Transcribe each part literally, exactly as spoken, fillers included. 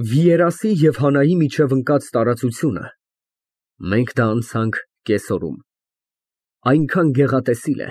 Վիերասի և Հանայի միջև ընկած տարածությունը մենք դա անցանք կեսօրում, այնքան գեղատեսիլ է,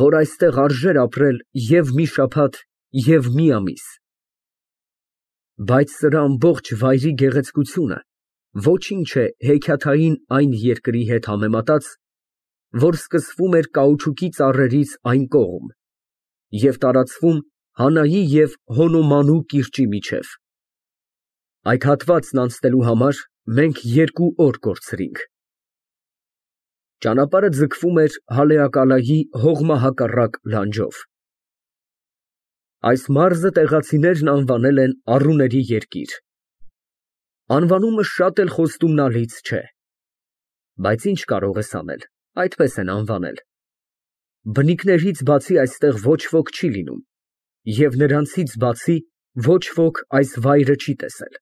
որ այստեղ արժեր ապրել և մի շաբաթ, և մի ամիս, բայց սրա ամբողջ վայրի գեղեցկությունը ոչինչ է հեքիաթային այն երկրի հետ համեմատած, որ սկսվում էր կաուչուկի ծառերից այն կողմ և տարածվում Հանայի և Հոնոմանու կիրճի միջև։ Այդ հատվածն անցնելու համար մենք երկու օր կորցրինք։ Ճանապարհը ձգվում էր Հալեակալայի հողմահակառակ լանջով։ Այս մարզը տեղացիներն անվանել են Առուների երկիր։ Անվանումը շատ էլ խոստումնալից չէ, բայց ինչ կարող ես անել, այդպես են անվանել։ Բնիկներից բացի այստեղ ոչ ոք չի լինում, և նրանցից բացի ոչ ոք այս վայրը չի տեսել։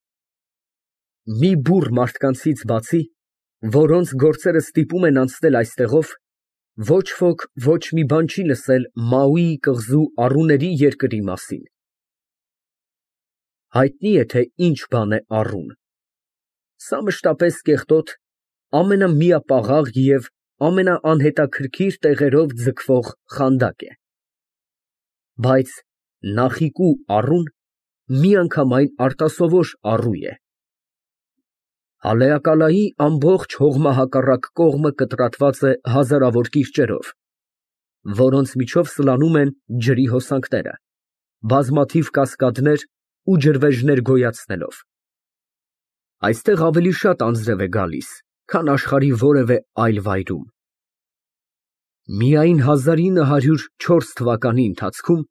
Մի բուռ մարդկանցից բացի, որոնց գործերը ստիպում են անցնել այստեղով, ոչ ոք ոչ մի բան չի լսել Մաուի կղզու Առուների երկրի մասին։ Հայտնի է, թե ինչ բան է առուն։ Սա մշտապես կեղտոտ, ամենամիապաղաղ և ամենաանհետաքրքիր տեղերով ձգվող խանդակ է։ Բայց Նախիկու առուն միանգամայն արտասովոր առու է։ Հալեակալայի ամբողջ հողմահակառակ կողմը կտրատված է հազարավոր կիրճերով, որոնց միջով սլանում են ջրի հոսանքները, բազմաթիվ կասկադներ ու ջրվեժներ գոյացնելով։ Այստեղ ավելի շատ անձրև է գալիս, քան աշխարհի որևէ այլ վայրում։ Միայն հազար ինը հարյուր չորս թվականի ընթացքում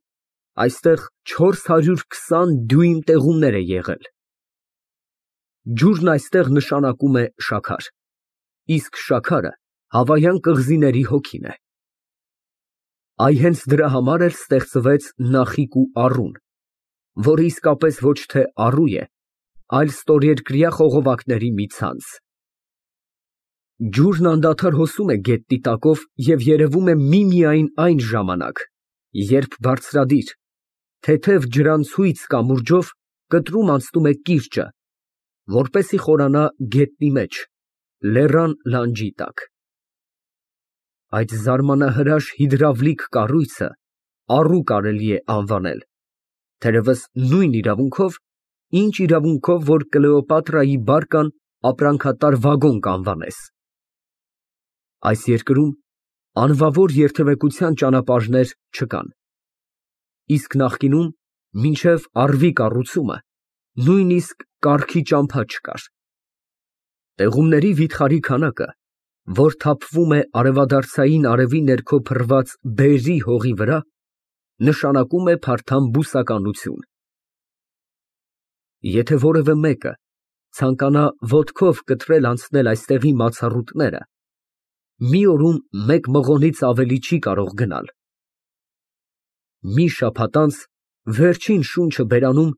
այստեղ չորս հարյուր քսան դյույմ տեղումներ է եղել։ Ջուրն այստեղ նշանակում է շաքար, իսկ շաքարը հավայան կղզիների հոգին է։ Այ հենց դրա համար էլ ստեղծվեց Նախիկու առուն, որը իսկապես ոչ թե առու է, այլ ստորերկրյա խողովակների մի ցանց։ Ջուրն անդադար հոսում է գետնի տակով և երևում է միմիայն այն ժամանակ, երբ բարձրադիր, թեթև ջրանցույց կամուրջով կտրում անցնում է կիրճը, որպեսզի խորանա գետնի մեջ, լեռան լանջի տակ։ Այդ զարմանահրաշ հիդրավլիկ կառույցը առու կարելի է անվանել, թերևս նույն իրավունքով, ինչ իրավունքով, որ Կլեոպատրայի բարկան ապրանքատար վագոն կանվանես։ Այս երկրում անվավոր երթևեկության ճանապարհներ չկան, իսկ նախկինում մինչև առվի կառուցումը նույնիսկ կառքի ճամփա չկար։ Տեղումների վիթխարի քանակը, որ թափվում է արևադարձային արևի ներքո փռված բերրի հողի վրա, նշանակում է փարթամ բուսականություն։ Եթե որևէ մեկը ցանկանա ոտքով կտրել անցնել այստեղի մացառուտները, մի օրում մեկ մղոնից ավելի չի կարող գնալ։ Մի շաբաթ անց վերջին շունչը բերանում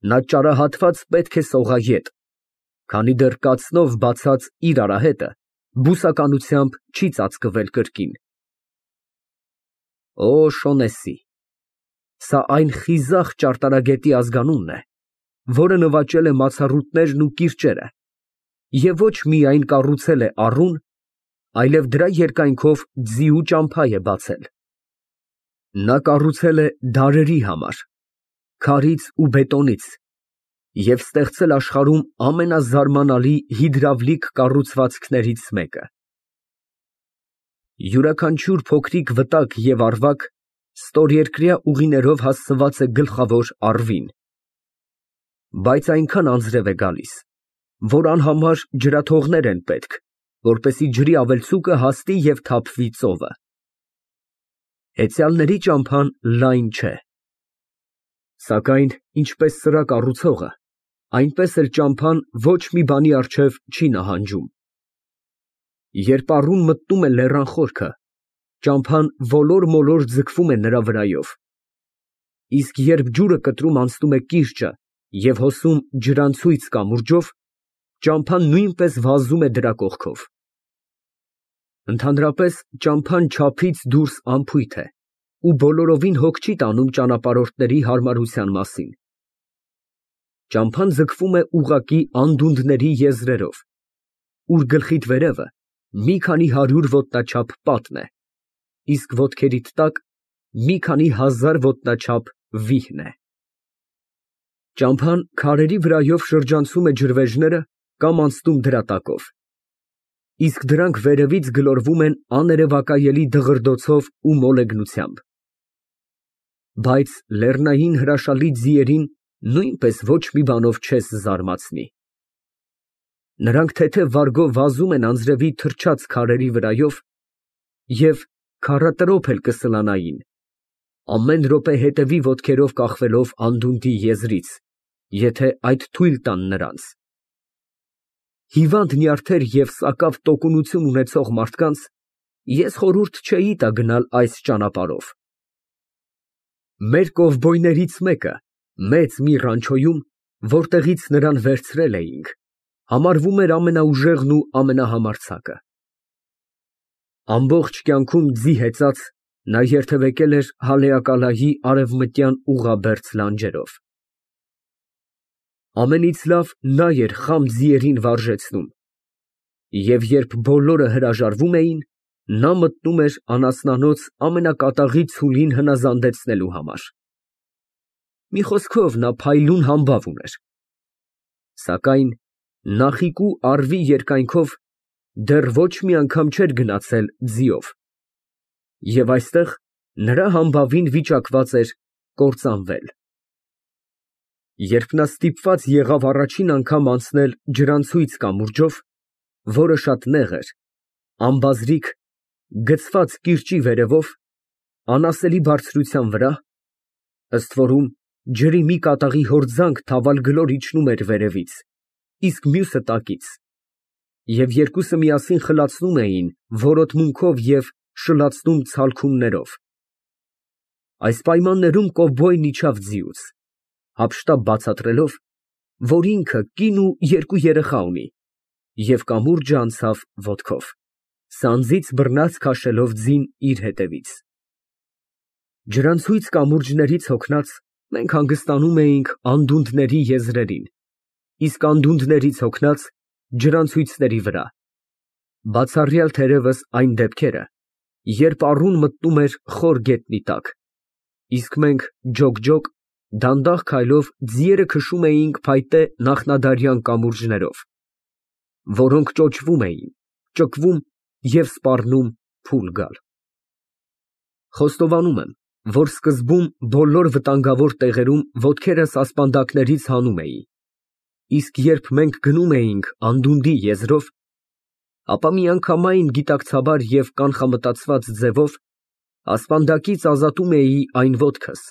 նա ճարահատված պետք է սողա ետ, քանի դեռ կացնով բացած իր արահետը բուսականությամբ չի ծածկվել կրկին։ Օ Շոնեսի, սա այն խիզախ ճարտարագետի ազգանունն է, որը նվաճել է մացառուտներն ու կիրճերը և ոչ միայն կառուցել է առուն, այլև դրա երկայնքով ձիու ճամփա է բացել։ Նա կառուցել է դարերի համար, քարից ու բետոնից և ստեղծել աշխարհում ամենազարմանալի հիդրավլիկ կառուցվածքներից մեկը։ Յուրաքանչյուր փոքրիկ վտակ և առվակ ստորերկրյա ուղիներով հասցված է գլխավոր առվին, բայց այնքան անձրև է գալիս, որ անհամար ջրաթողներ են պետք, որպեսզի ջրի ավելցուկը հասնի և թափվի ծովը։ Հեծյալների ճամփան լայն չէ, սակայն ինչպես սրա կառուցողը, այնպես էլ ճամփան ոչ մի բանի առջև չի նահանջում։ Երբ առուն մտնում է լեռան խորքը, ճամփան ոլոր֊մոլոր ձգվում է նրա վրայով, իսկ երբ ջուրը կտրում անցնում է կիրճը և հոսում ջրանցույց կամուրջով, ճամփան նույնպես վազում է դրա կողքով։ Ընդհանրապես ճամփան չափից դուրս անփույթ է ու բոլորովին հոգ չի տանում ճանապարհորդների հարմարության մասին։ Ճամփան ձգվում է ուղղակի անդունդների եզրերով, ուր գլխիդ վերևը մի քանի հարյուր ոտնաչափ պատն է, իսկ ոտքերիդ տակ մի քանի հազար ոտնաչափ վիհն է։ Ճամփան քարերի վրայով շրջանցում է ջրվեժները կամ անցնում դրա տակով, իսկ դրանք վերևից գլորվում են աներևակայելի դղրդոցով ու մոլեգնությամբ։ Բայց լեռնային հրաշալի ձիերին նույնպես ոչ մի բանով չես զարմացնի։ Նրանք թեթև վարգով վազում են անձրևի թրջած քարերի վրայով և քառատրոփ էլ կսլանային, ամեն րոպե հետևի ոտքերով կախվելով անդունդի եզրից, եթե այդ թույլ տան նրանց։ Հիվանդ նյարդեր և սակավ տոկունություն ունեցող մարդկանց ես խորհուրդ չէի տա գնալ այս ճանապարհով։ Մեր կովբոյներից մեկը մեծ մի ռանչոյում, որտեղից նրան վերցրել էինք, համարվում էր ամենաուժեղն ու ամենահամարձակը։ Ամբողջ կյանքում ձի հեծած, նա երթևեկել էր Հալեակալայի արևմտյան ուղղաբերձ լանջերով։ Ամենից լավ նա էր խամ ձիերին վարժեցնում, և երբ բոլորը հրաժարվում էին, նա մտնում էր անասնանոց ամենակատաղի ցուլին հնազանդեցնելու համար։ Մի խոսքով, նա փայլուն համբավ ուներ, սակայն նախիկու առվի երկայնքով դեռ ոչ մի անգամ չէր գնացել ձիով, և այստեղ նրա համբավին վիճակված էր կործանվել։ Երբ նա ստիպված եղավ առաջին անգամ անցնել ջրանցույց կամուրջով, որը շատ նեղ էր, անբազրիկ, գցված կիրճի վերևով, անասելի բարձրության վրա, ըստ որում ջրի մի կատաղի հորձանք թավալգլոր իջնում էր վերևից, իսկ մյուսը տակից, և երկուսը միասին խլացնում էին որոտմունքով և շլացնում ցալքումներով։ Այս պայմաններում կովբոյն իջավ ձիուց, հափշտապ բացատրելով, որ ինքը կին ու երկու երեխա ունի, և կամուրջը անցավ ոտքով, սանձից բռնած քաշելով ձին իր հետևից։ Ջրանցույց կամուրջներից հոգնած, մենք հանգստանում էինք անդունդների եզրերին, իսկ անդունդներից հոգնած ջրանցույցների վրա, բացառյալ թերևս այն դեպքերը, երբ առուն մտնում էր խոր գետնի տակ, իսկ մենք ջոկ֊ջոկ, դանդաղ քայլով ձիերը քշում էինք փայտե նախնադարյան կամուրջներով, որոնք ճոճվում էին, ճկվում և սպառնում փուլ գալ։ Խոստովանում եմ, որ սկզբում բոլոր վտանգավոր տեղերում ոտքերս ասպանդակներից հանում էի, իսկ երբ մենք գնում էինք անդունդի եզրով, ապա միանգամայն գիտակցաբար և կանխամտածված ձևով ասպանդակից ազատում էի այն ոտքս,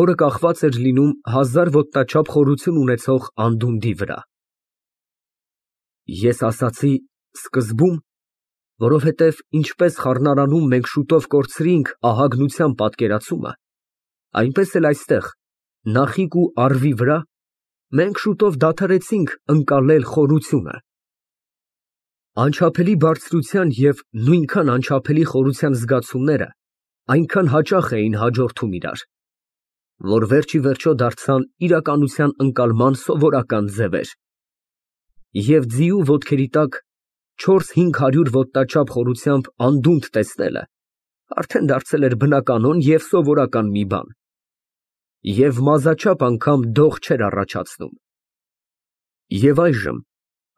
որը կախված էր լինում հազար ոտնաչափ խորություն ունեցող անդունդի վրա։ Ես ասացի «սկզբում», որովհետև ինչպես խառնարանում մենք շուտով կորցրինք ահագնության պատկերացումը, այնպես էլ այստեղ, նախիկ ու առվի վրա, մենք շուտով դադարեցինք ընկալել խորությունը։ Անչափելի բարձրության և նույնքան անչափելի խորության զգացումները այնքան հաճախ էին հաջորդում իրար, որ վերջիվերջո դարձան իրականության ընկալման սովորական ձևեր, և ձիու ոտքերի տակ չորս֊հինգ հարյուր ոտնաչափ խորությամբ անդունդ տեսնելը արդեն դարձել էր բնականոն և սովորական մի բան, և մազաչափ անգամ դող չէր առաջացնում։ Եվ այժմ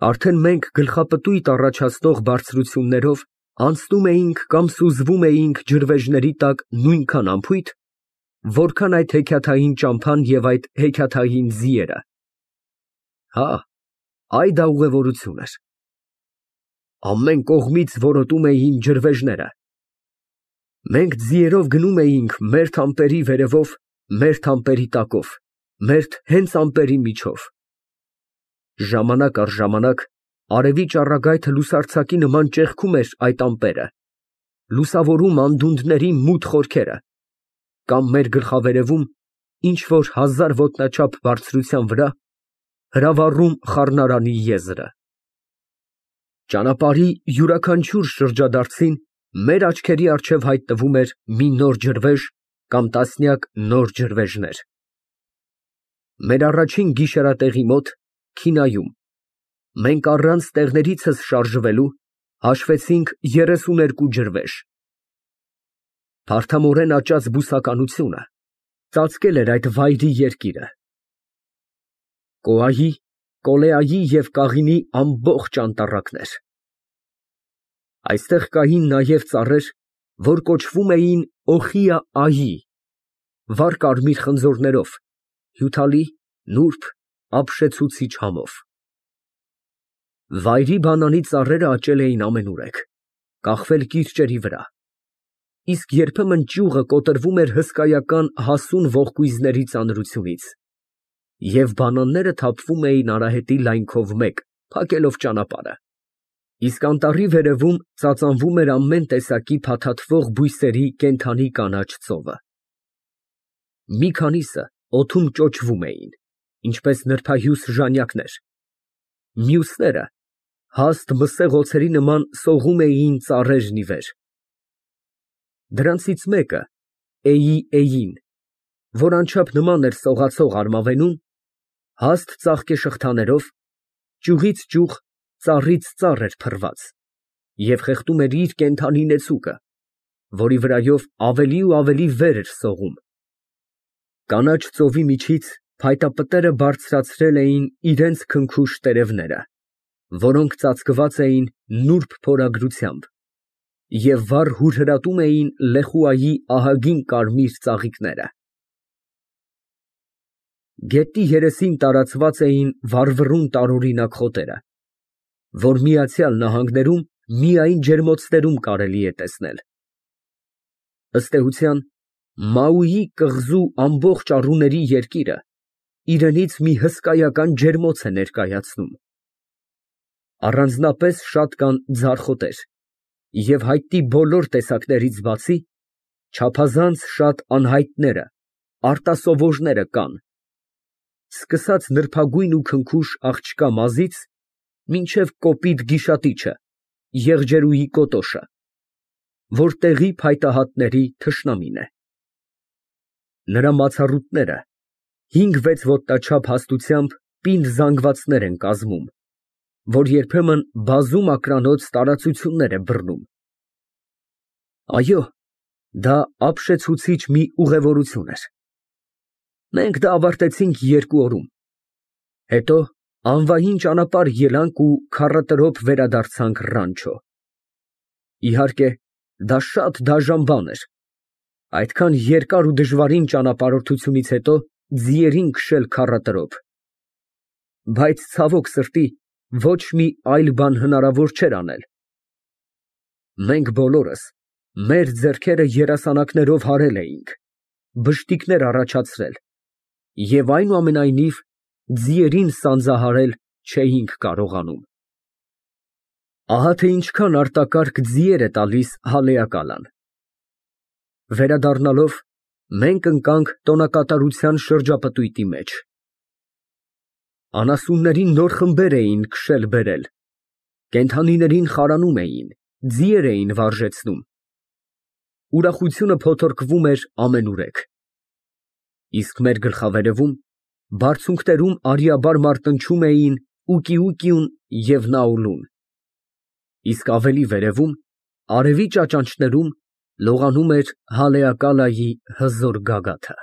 արդեն մենք գլխապտույտ առաջացնող բարձրություններով անցնում էինք կամ սուզվում էինք ջրվեժների տակ նույնքան անփույթ, որքան այդ հեքիաթային ճամփան և այդ հեքիաթային ձիերը։ Հա, այդ ա ուղևորություն էր։ Ամեն կողմից որոտում էին ջրվեժները։ Մենք ձիերով գնում էինք մերթ ամպերի վերևով, մերթ ամպերի տակով, մերթ հենց ամպերի միջով։ Ժամանակ առ ժամանակ արևի ճառագայթը լուսարձակի նման ճեղքում էր այդ ամպերը, լուսավորում անդունդների մութ խորքերը, կամ մեր գլխավերևում, ինչ֊որ հազար ոտնաչափ բարձրության վրա, հրավառում խառնարանի եզրը։ Ճանապարհի յուրաքանչյուր շրջադարձին մեր աչքերի առջև հայտնվում էր մի նոր ջրվեժ կամ տասնյակ նոր ջրվեժներ։ Մեր առաջին գիշերատեղի մոտ, քինայում, մենք առանց տեղներիցս շարժվելու հաշվեցինք երեսուներկու ջրվեժ։ Փարթամորեն աճած բուսականությունը ծածկել էր այդ վայրի երկիրը։ Կոայի, կոլեայի և կաղինի ամբողջ անտառակներ։ Այստեղ կային նաև ծառեր, որ կոչվում էին օխիա֊այի, վառ կարմիր խնձորներով, հյութալի, նուրբ, ապշեցուցիչ համով։ Վայրի բանանի ծառերը աճել էին ամենուրեք, կախվել կիրճերի վրա, իսկ երբեմն ճյուղը կոտրվում էր հսկայական հասուն ողկույզների ծանրությունից, և բանանները թափվում էին արահետի լայնքով մեկ, փակելով ճանապարհը, իսկ անտառի վերևում ծածանվում էր ամեն տեսակի փաթաթվող բույսերի կենդանի կանաչ ծովը։ Մի քանիսը օդում ճոճվում էին, ինչպես նրբահյուս ժանյակներ, մյուսները հաստ մսեղոցերի նման սողում էին ծառերն ի վեր։ Դրանցից մեկը, Էյի֊Էյին, որ անչափ նման էր սողացող արմավենուն, հաստ ծաղկեշղթաներով, ճյուղից ճյուղ, ծառից ծառ էր փռված և խեղդում էր իր կենդանի նեցուկը, որի վրայով ավելի ու ավելի վեր էր սողում։ Կանաչ ծովի միջից փայտապտերը բարձրացրել էին իրենց քնքուշ տերևները, որոնք ծածկված էին նուրբ փորագրությամբ և վառ հուրհրատում էին լեխուայի ահագին կարմիր ծաղիկները։ Գետնի երեսին տարածված էին վառվռուն տարօրինակ խոտերը, որ Միացյալ Նահանգներում միայն ջերմոցներում կարելի է տեսնել։ Ըստ էության, Մաուի կղզու ամբողջ առուների երկիրը իրենից մի հսկայական ջերմոց է ներկայացնում։ Առանձնապես շատ կան ձարխոտեր և հայտնի բոլոր տեսակներից բացի, չափազանց շատ անհայտները, արտասովորները կան, սկսած նրբագույն ու քնքուշ աղջկա մազից մինչև կոպիտ գիշատիչը, եղջերուի կոտոշը, որ տեղի փայտահատների թշնամին է։ Նրա մացառուտները հինգ֊վեց ոտնաչափ հաստությամբ պինդ զանգվածներ են կազմում, որ երբեմն բազում ակրանոց տարածություններ է բռնում։ Այո, դա ապշեցուցիչ մի ուղևորություն էր։ Մենք դա ավարտեցինք երկու օրում, հետո անվային ճանապարհ ելանք ու քառատրոփ վերադարձանք Ռանչո։ Իհարկե, դա շատ դաժան բան էր, այդքան երկար ու դժվարին ճանապարհորդությունից հետո ձիերին քշել քառատրոփ, բայց ցավոք սրտի, ոչ մի այլ բան հնարավոր չէր անել։ Մենք բոլորս մեր ձեռքերը երասանակներով հարել էինք, բշտիկներ առաջացրել և այնուամենայնիվ ձիերին սանձահարել չէինք կարողանում։ Ահա թե ինչքան արտակարգ ձիեր է տալիս հալեակալան։ Վերադառնալով մենք ընկանք տոնակատարության շրջապտույտի մեջ։ Անասուններին նոր խմբեր էին քշել֊բերել, կենդանիներին խարանում էին, ձիեր էին վարժեցնում։ Ուրախությունը փոթորկվում էր ամենուրեք։ Իսկ մեր գլխավերևում, բարձունքներում արիաբար մարտնչում էին Ուկիուկիուն և Նաուլուն, իսկ ավելի վերևում, արևի ճաճանճներում լողանում էր Հալեակալայի հզոր գագաթը։